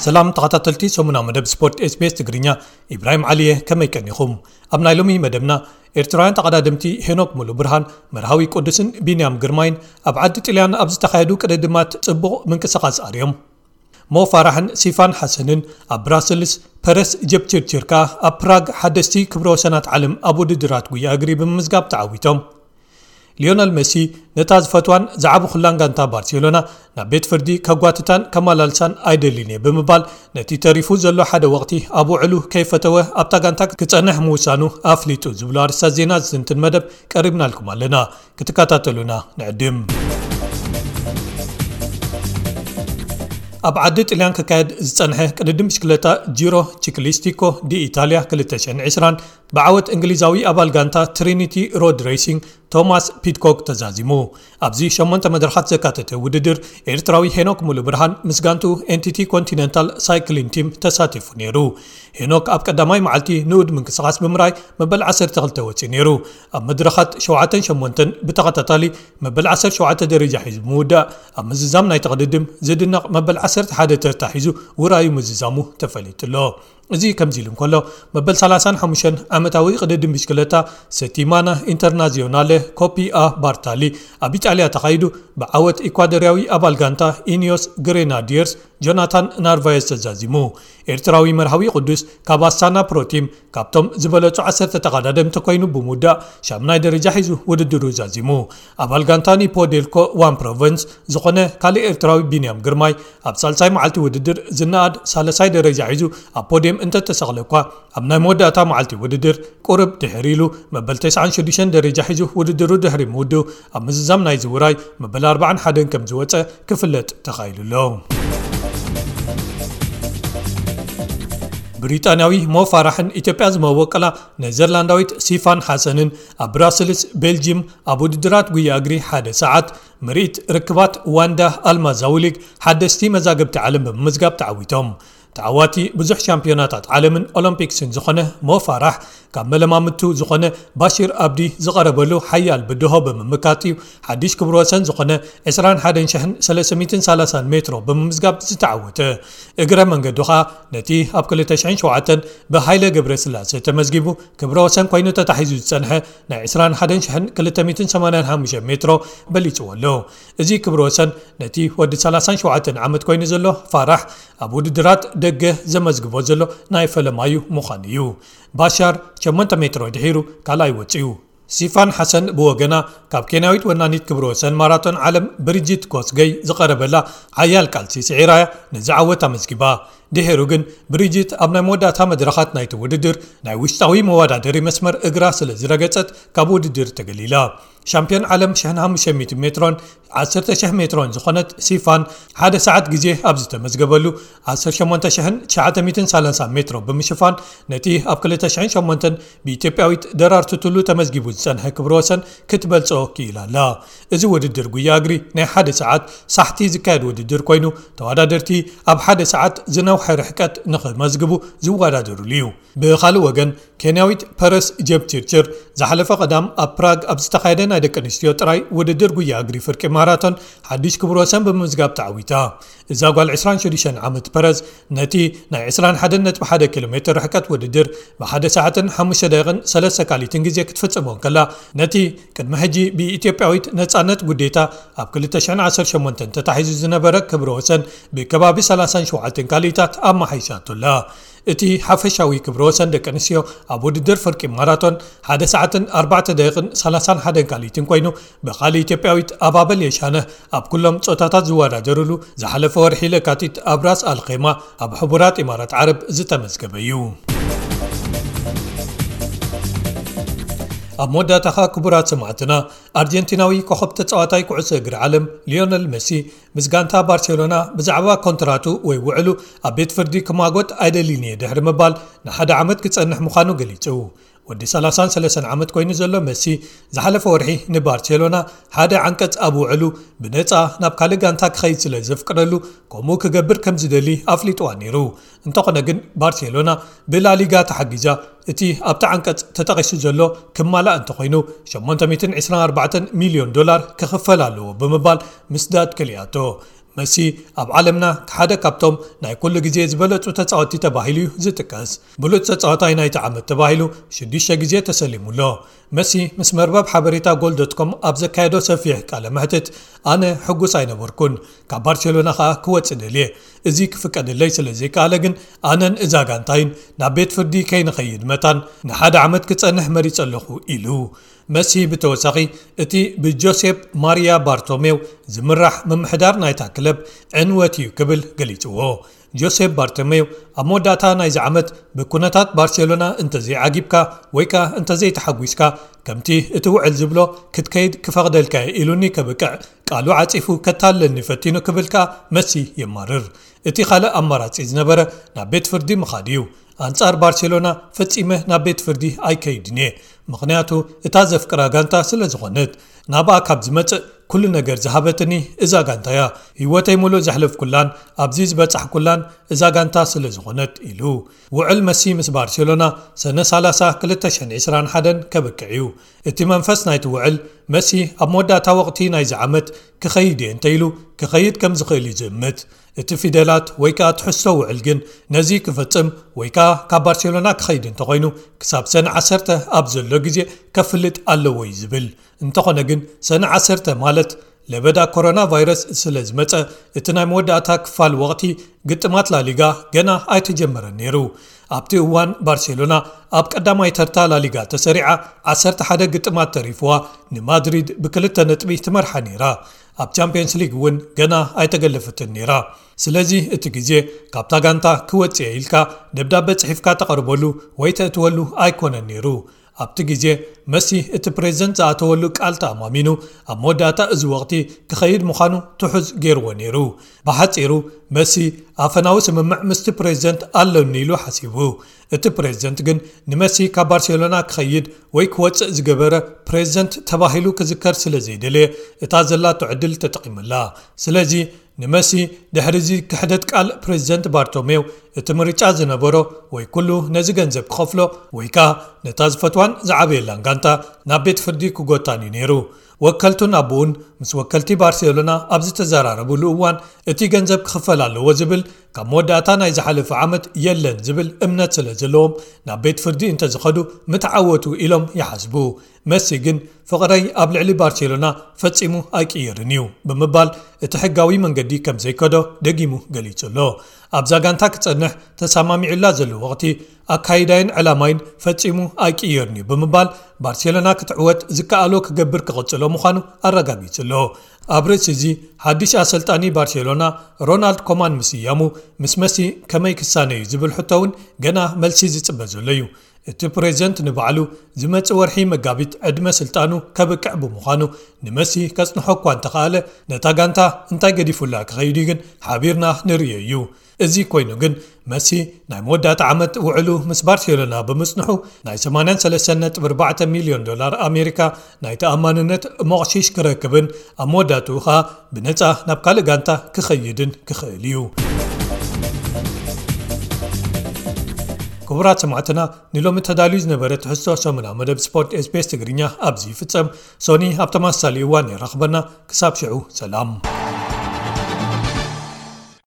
ሰላም ተኸታተልቲ ሰሙና መደብ ስፖርት ኤስቢኤስ ትግርኛ፣ ኢብራሂም ዓሊየ፣ ከመይ ቀኒኹም? ኣብ ናይ ሎሚ መደብና፣ ኤርትራውያን ተቐዳደምቲ ሄኖክ ሙሉ ብርሃን፣ መርሃዊ ቅዱስን ቢንያም ግርማይን ኣብ ዓዲ ጥልያን ኣብ ዝተኻየዱ ቅድድማት ጽቡቕ ምንቅስቓስ ኣርዮም። ሞ ፋራሕን ሲፋን ሓሰንን ኣብ ብራስልስ፣ ፐረስ ጀፕችርችር ከኣ ኣብ ፕራግ ሓደስቲ ክብረ ወሰናት ዓለም ኣብ ውድድራት ጉያ እግሪ ብምምዝጋብ ተዓዊቶም። ሊዮነል መሲ ነታ ዝፈትዋን ዝዓበኹላን ጋንታ ባርሴሎና ናብ ቤት ፍርዲ ከጓትታን ከመላልሳን ኣይደልን እየ ብምባል፣ ነቲ ተሪፉ ዘሎ ሓደ ወቕቲ ኣብ ውዕሉ ከይፈተወ ኣብታ ጋንታ ክጸንሕ ምውሳኑ ኣፍሊጡ ዝብሉ ኣርእስታት ዜና ዝትንትን መደብ ቀሪብናልኩም ኣለና። ክትከታተሉና ንዕድም። ኣብ ዓዲ ጥልያን ክካየድ ዝጸንሐ ቅድድም ብሽክለታ ጂሮ ቺክሊስቲኮ ዲ ኢታልያ ክልተ ሽሕን ዕስራን ብዓወት እንግሊዛዊ ኣባል ጋንታ ትሪኒቲ ሮድ ሬሲንግ ቶማስ ፒድኮክ ተዛዚሙ። ኣብዚ ሸሞንተ መድረኻት ዘካተተ ውድድር፣ ኤርትራዊ ሄኖክ ሙሉ ብርሃን ምስ ጋንቱ ኤንቲቲ ኮንቲነንታል ሳይክሊን ቲም ተሳቲፉ ነይሩ። ሄኖክ ኣብ ቀዳማይ መዓልቲ ንኡድ ምንቅስቓስ ብምርኣይ መበል ዓሰርተ ክልተ ወጺኡ ነይሩ። ኣብ መድረኻት ሸውዓተን ሸሞንተን ብተኸታታሊ መበል ዓሰርተ ሸውዓተ ደረጃ ሒዙ ብምውዳእ፣ ኣብ ምዝዛም ናይ ተቕድድም ዝድነቕ መበል ዓሰርተ ሓደ ተርታ ሒዙ ውራዩ ምዝዛሙ ተፈሊጡ ኣሎ። እዚ ከምዚ ኢሉ እንከሎ፣ መበል ሰላሳን ሓሙሽተን ዓመታዊ ቅድድም ብሽክለታ ሰቲማና ኢንተርናዚዮናለ ኮፒ ኣ ባርታሊ ኣብ ኢጣልያ ተኻይዱ፣ ብዓወት ኢኳዶርያዊ ኣባል ጋንታ ኢኒዮስ ግሬናዲየርስ ጆናታን ናርቫየስ ተዛዚሙ። ኤርትራዊ መርሃዊ ቅዱስ ካብ ኣስታና ፕሮቲም ካብቶም ዝበለጹ ዓሰርተ ተቐዳደምቲ ኮይኑ ብምውዳእ ሻምናይ ደረጃ ሒዙ ውድድሩ ዛዚሙ። ኣባል ጋንታ ኒፖ ዴልኮ ዋን ፕሮቨንስ ዝኾነ ካልእ ኤርትራዊ ቢንያም ግርማይ ኣብ ሳልሳይ መዓልቲ ውድድር ዝነኣድ ሳልሳይ ደረጃ ሒዙ ኣብ ፖድየም እንተተሰቕለ እኳ፣ ኣብ ናይ መወዳእታ መዓልቲ ውድድር ቁርብ ድሕር ኢሉ መበል ተስዓን ሽዱሽተን ደረጃ ሒዙ ውድድሩ ድሕሪ ምውድኡ፣ ኣብ ምዝዛም ናይዚ ውራይ መበል ኣርባዓን ሓደን ከም ዝወጸ ክፍለጥ ተኻኢሉ ኣሎ። ብሪጣንያዊ ሞ ፋራሕን ኢትዮጵያ ዝመወቀላ ኔዘርላንዳዊት ሲፋን ሓሰንን ኣብ ብራስልስ ቤልጂም ኣብ ውድድራት ጉያ እግሪ ሓደ ሰዓት ምርኢት ርክባት ዋንዳ ኣልማዛዊ ሊግ ሓደስቲ መዛግብቲ ዓለም ብምምዝጋብ ተዓዊቶም። ተዓዋቲ ብዙሕ ሻምፒዮናታት ዓለምን ኦሎምፒክስን ዝኾነ ሞ ፋራሕ፣ ካብ መለማምቱ ዝኾነ ባሺር ኣብዲ ዝቐረበሉ ሓያል ብድሆ ብምምካት እዩ ሓድሽ ክብረ ወሰን ዝኾነ ዕስራን ሓደን ሽሕን ሰለስተ ሚእትን ሰላሳን ሜትሮ ብምምዝጋብ ዝተዓወተ። እግረ መንገዱ ኸኣ ነቲ ኣብ ክልተ ሽሕን ሸውዓተን ብሃይለ ገብረስላሴ ተመዝጊቡ ክብረ ወሰን ኮይኑ ተታሒዙ ዝጸንሐ ናይ ዕስራን ሓደን ሽሕን ክልተ ሚእትን ሰማንያን ሓሙሽተን ሜትሮ በሊጽዎ ኣሎ። እዚ ክብረ ወሰን ነቲ ወዲ ሰላሳን ሸውዓተን ዓመት ኮይኑ ዘሎ ፋራሕ ኣብ ውድድራት ደገ ዘመዝግቦ ዘሎ ናይ ፈለማዩ ምዃኑ እዩ። ባሻር ሸሞንተ ሜትሮ ድሒሩ ካልኣይ ወጺኡ። ሲፋን ሓሰን ብወገና፣ ካብ ኬንያዊት ወናኒት ክብረ ወሰን ማራቶን ዓለም ብሪጂት ኮስገይ ዝቐረበላ ሓያል ቃልሲ ስዒራ'ያ ነዚ ዓወት ኣመዝጊባ። ድሒሩ ግን ብሪጂት ኣብ ናይ መወዳእታ መድረኻት ናይቲ ውድድር ናይ ውሽጣዊ መወዳደሪ መስመር እግራ ስለ ዝረገጸት ካብ ውድድር ተገሊላ። ሻምፒዮን ዓለም ሽሕን ሓሙሽተ ሚእትን ሜትሮን ዓሰርተ ሽሕ ሜትሮን ዝኾነት ሲፋን ሓደ ሰዓት ግዜ ኣብ ዝተመዝገበሉ ዓሰርተ ሸሞንተ ሽሕን ትሽዓተ ሚእትን ሰላሳን ሜትሮ ብምሽፋን ነቲ ኣብ ክልተ ሽሕን ሸሞንተን ብኢትዮጵያዊት ደራርቱ ቱሉ ተመዝጊቡ ዝጸንሐ ክብረ ወሰን ክትበልጾ ክኢላ ኣላ። እዚ ውድድር ጉያ እግሪ ናይ ሓደ ሰዓት ሳሕቲ ዝካየድ ውድድር ኮይኑ፣ ተወዳደርቲ ኣብ ሓደ ሰዓት ዝነውሐ ርሕቀት ንኽመዝግቡ ዝወዳደሩሉ እዩ። ብኻልእ ወገን፣ ኬንያዊት ፐረስ ጀፕቺርችር ዝሓለፈ ቀዳም ኣብ ፕራግ ኣብ ዝተኻየደ ናይ ደቂ ኣንስትዮ ጥራይ ውድድር ጉያ እግሪ ፍርቂ ማራቶን ሓድሽ ክብረ ወሰን ብምምዝጋብ ተዓዊታ። እዛ ጓል ዕስራን ሽዱሽተን ዓመት ፐረስ ነቲ ናይ ዕስራን ሓደን ነጥቢ ሓደ ኪሎ ሜትር ርሕቀት ውድድር ብሓደ ሰዓትን ሓሙሽተ ደቂቕን ሰለስተ ካሊትን ግዜ ክትፍጽሞ እንከላ፣ ነቲ ቅድሚ ሕጂ ብኢትዮጵያዊት ነጻነት ጉዴታ ኣብ ክልተ ሽሕን ዓሰርተ ሸሞንተን ተታሒዙ ዝነበረ ክብረ ወሰን ብከባቢ ሰላሳን ሸውዓተን ካሊታት ኣመሓይሻቶ ኣላ። እቲ ሓፈሻዊ ክብረ ወሰን ደቂ ኣንስትዮ ኣብ ውድድር ፍርቂ ማራቶን ሓደ ሰዓትን ኣርባዕተ ደቂቕን ሰላሳን ሓደን ካሊትን ኮይኑ፣ ብኻልእ ኢትዮጵያዊት ኣባበል የሻነህ ኣብ ኩሎም ጾታታት ዝወዳደሩሉ ዝሓለፈ ወርሒ ለካቲት ኣብ ራስ ኣልኼማ ኣብ ሕቡራት ኢማራት ዓረብ ዝተመዝገበ እዩ። ኣብ መወዳእታ ኸኣ ክቡራት ሰማዕትና፣ ኣርጀንቲናዊ ኮኸብ ተጻዋታይ ኩዕሶ እግሪ ዓለም ሊዮነል መሲ ምስ ጋንታ ባርሴሎና ብዛዕባ ኮንትራቱ ወይ ውዕሉ ኣብ ቤት ፍርዲ ክማጎት ኣይደልን እየ ድሕሪ ምባል ንሓደ ዓመት ክጸንሕ ምዃኑ ገሊጹ። ወዲ ሰላሳን ሰለስተን ዓመት ኮይኑ ዘሎ መሲ ዝሓለፈ ወርሒ ንባርሴሎና ሓደ ዓንቀጽ ኣብ ውዕሉ ብነጻ ናብ ካልእ ጋንታ ክኸይድ ስለ ዘፍቅደሉ ከምኡ ክገብር ከም ዝደሊ ኣፍሊጥዋ ነይሩ። እንተኾነ ግን ባርሴሎና ብላሊጋ ተሓጊዛ እቲ ኣብቲ ዓንቀጽ ተጠቒሱ ዘሎ ክማላእ እንተኾይኑ ሸሞንተ ሚእትን ዕስራን ኣርባዕተን ሚልዮን ዶላር ክኽፈል ኣለዎ ብምባል ምስዳድ ከሊኣቶ። መሲ ኣብ ዓለምና ሓደ ካብቶም ናይ ኩሉ ግዜ ዝበለጹ ተጻወትቲ ተባሂሉ እዩ ዝጥቀስ። ብሉጽ ተጻዋታይ ናይቲ ዓመት ተባሂሉ ሽዱሽተ ግዜ ተሰሊሙ ኣሎ። መሲ ምስ መርበብ ሓበሬታ ጎል ዶት ኮም ኣብ ዘካየዶ ሰፊሕ ቃለ መሕትት፣ ኣነ ሕጉስ ኣይነበርኩን፣ ካብ ባርሴሎና ኸኣ ክወጽእ ደልየ። እዚ ክፍቀደለይ ስለ ዘይከኣለ ግን ኣነን እዛ ጋንታይን ናብ ቤት ፍርዲ ከይንኸይድ መታን ንሓደ ዓመት ክጸንሕ መሪጸ ኣለኹ ኢሉ። መሲ ብተወሳኺ እቲ ብጆሴፕ ማሪያ ባርቶሜው ዝምራሕ ምምሕዳር ናይታ ክለብ ዕንወት እዩ ክብል ገሊጽዎ። ጆሴፕ ባርቶሜው ኣብ መወዳእታ ናይዚ ዓመት ብኩነታት ባርሴሎና እንተዘይዓጊብካ ወይ ከኣ እንተዘይተሓጒስካ ከምቲ እቲ ውዕል ዝብሎ ክትከይድ ክፈቕደልካ እየ ኢሉኒ ከብቅዕ ቃሉ ዓጺፉ ከታልለኒ ፈቲኑ ክብል ከኣ መሲ የማርር። እቲ ካልእ ኣማራጺ ዝነበረ ናብ ቤት ፍርዲ ምኻድ እዩ። ኣንጻር ባርሴሎና ፈጺመ ናብ ቤት ፍርዲ ኣይከይድን እየ፣ ምኽንያቱ እታ ዘፍቅራ ጋንታ ስለ ዝኾነት። ናብኣ ካብ ዝመጽእ ኩሉ ነገር ዝሃበትኒ እዛ ጋንታ እያ። ህይወተይ ሙሉእ ዘሕለፍኩላን ኣብዚ ዝበጻሕኩላን እዛ ጋንታ ስለ ዝኾነት ኢሉ። ውዕል መሲ ምስ ባርሴሎና ሰነ ሰላሳ ክልተ ሽሕን ዕስራን ሓደን ከብቅዕ እዩ። እቲ መንፈስ ናይቲ ውዕል መሲ ኣብ መወዳእታ ወቕቲ ናይዚ ዓመት ክኸይድ እየ እንተኢሉ ክኸይድ ከም ዝኽእል እዩ ዝእምት። እቲ ፊደላት ወይ ከኣ ትሕዝቶ ውዕል ግን ነዚ ክፈጽም ወይ ከኣ ካብ ባርሴሎና ክኸይድ እንተኾይኑ ክሳብ ሰነ ዓሰርተ ኣብ ዘሎ ግዜ ከፍልጥ ኣለዎ እዩ ዝብል። እንተኾነ ግን ሰነ ዓሰርተ ማለት ለበዳ ኮሮና ቫይረስ ስለ ዝመጸ እቲ ናይ መወዳእታ ክፋል ወቕቲ ግጥማት ላሊጋ ገና ኣይተጀመረን ነይሩ። ኣብቲ እዋን ባርሴሎና ኣብ ቀዳማይ ተርታ ላሊጋ ተሰሪዓ ዓሰርተ ሓደ ግጥማት ተሪፍዋ ንማድሪድ ብክልተ ነጥቢ ትመርሓ ነይራ። ኣብ ቻምፒየንስ ሊግ እውን ገና ኣይተገለፈትን ነይራ። ስለዚ እቲ ግዜ ካብታ ጋንታ ክወጽእ ኢልካ ደብዳበ ጽሒፍካ ተቐርበሉ ወይ ተእትወሉ ኣይኮነን ነይሩ። ኣብቲ ግዜ መሲ እቲ ፕሬዝደንት ዝኣተወሉ ቃል ተኣማሚኑ ኣብ መወዳእታ እዚ ወቕቲ ክኸይድ ምዃኑ ትሑዝ ገይርዎ ነይሩ። ብሓጺሩ መሲ ኣፈናዊ ስምምዕ ምስቲ ፕሬዝደንት ኣለኒ ኢሉ ሓሲቡ። እቲ ፕሬዝደንት ግን ንመሲ ካብ ባርሴሎና ክኸይድ ወይ ክወጽእ ዝገበረ ፕሬዝደንት ተባሂሉ ክዝከር ስለ ዘይደለየ እታ ዘላቶ ዕድል ተጠቒሙላ። ስለዚ ንመሲ ድሕሪ እዚ ክሕደት ቃል ፕሬዝደንት ባርቶሜው እቲ ምርጫ ዝነበሮ ወይ ኩሉ ነዚ ገንዘብ ክኸፍሎ ወይ ከኣ ነታ ዝፈትዋን ዝዓበየላን ጋንታ ናብ ቤት ፍርዲ ክጎታን እዩ ነይሩ። ወከልቱን ኣቦኡን ምስ ወከልቲ ባርሴሎና ኣብ ዝተዘራረብሉ እዋን እቲ ገንዘብ ክኽፈል ኣለዎ ዝብል ካብ መወዳእታ ናይ ዝሓለፈ ዓመት የለን ዝብል እምነት ስለ ዘለዎም ናብ ቤት ፍርዲ እንተዝኸዱ ምተዓወቱ ኢሎም ይሓስቡ። መሲ ግን ፍቕረይ ኣብ ልዕሊ ባርሴሎና ፈጺሙ ኣይቅየርን እዩ ብምባል እቲ ሕጋዊ መንገዲ ከም ዘይከዶ ደጊሙ ገሊጹ ኣሎ። ኣብዛ ጋንታ ክጸንሕ ተሰማሚዑላ ዘሎ ወቕቲ ኣካይዳይን ዕላማይን ፈጺሙ ኣይቅየርን እዩ ብምባል ባርሴሎና ክትዕወት ዝከኣሎ ክገብር ክቕጽሎ ምዃኑ ኣረጋጊጹ ኣሎ። ኣብ ርእሲ እዚ ሓድሽ ኣሰልጣኒ ባርሴሎና ሮናልድ ኮማን ምስያሙ ምስ መሲ ከመይ ክሳነ እዩ ዝብል ሕቶ እውን ገና መልሲ ዝጽበ ዘሎ እዩ። እቲ ፕሬዝደንት ንባዕሉ ዝመጽእ ወርሒ መጋቢት ዕድመ ስልጣኑ ከብቅዕ ብምዃኑ ንመሲ ከጽንሖ እኳ እንተኸኣለ ነታ ጋንታ እንታይ ገዲፉላ ክኸይድ እዩ ግን ሓቢርና ንርእዮ እዩ። እዚ ኮይኑ ግን መሲ ናይ መወዳእታ ዓመት ውዕሉ ምስ ባርሴሎና ብምጽንሑ ናይ ሰማንያን ሰለስተን ነጥቢ ኣርባዕተ ሚልዮን ዶላር ኣሜሪካ ናይ ተኣማንነት ሞቕሺሽ ክረክብን ኣብ መወዳእትኡ ኸኣ ብነጻ ናብ ካልእ ጋንታ ክኸይድን ክኽእል እዩ። ክቡራት ሰማዕትና ንሎሚ ተዳልዩ ዝነበረ ትሕዝቶ ሰሙና መደብ ስፖርት ኤስቤስ ትግርኛ ኣብዚ ይፍጸም። ሶኒ ኣብ ተመሳሳሊ እዋን የራኽበና። ክሳብ ሽዑ ሰላም።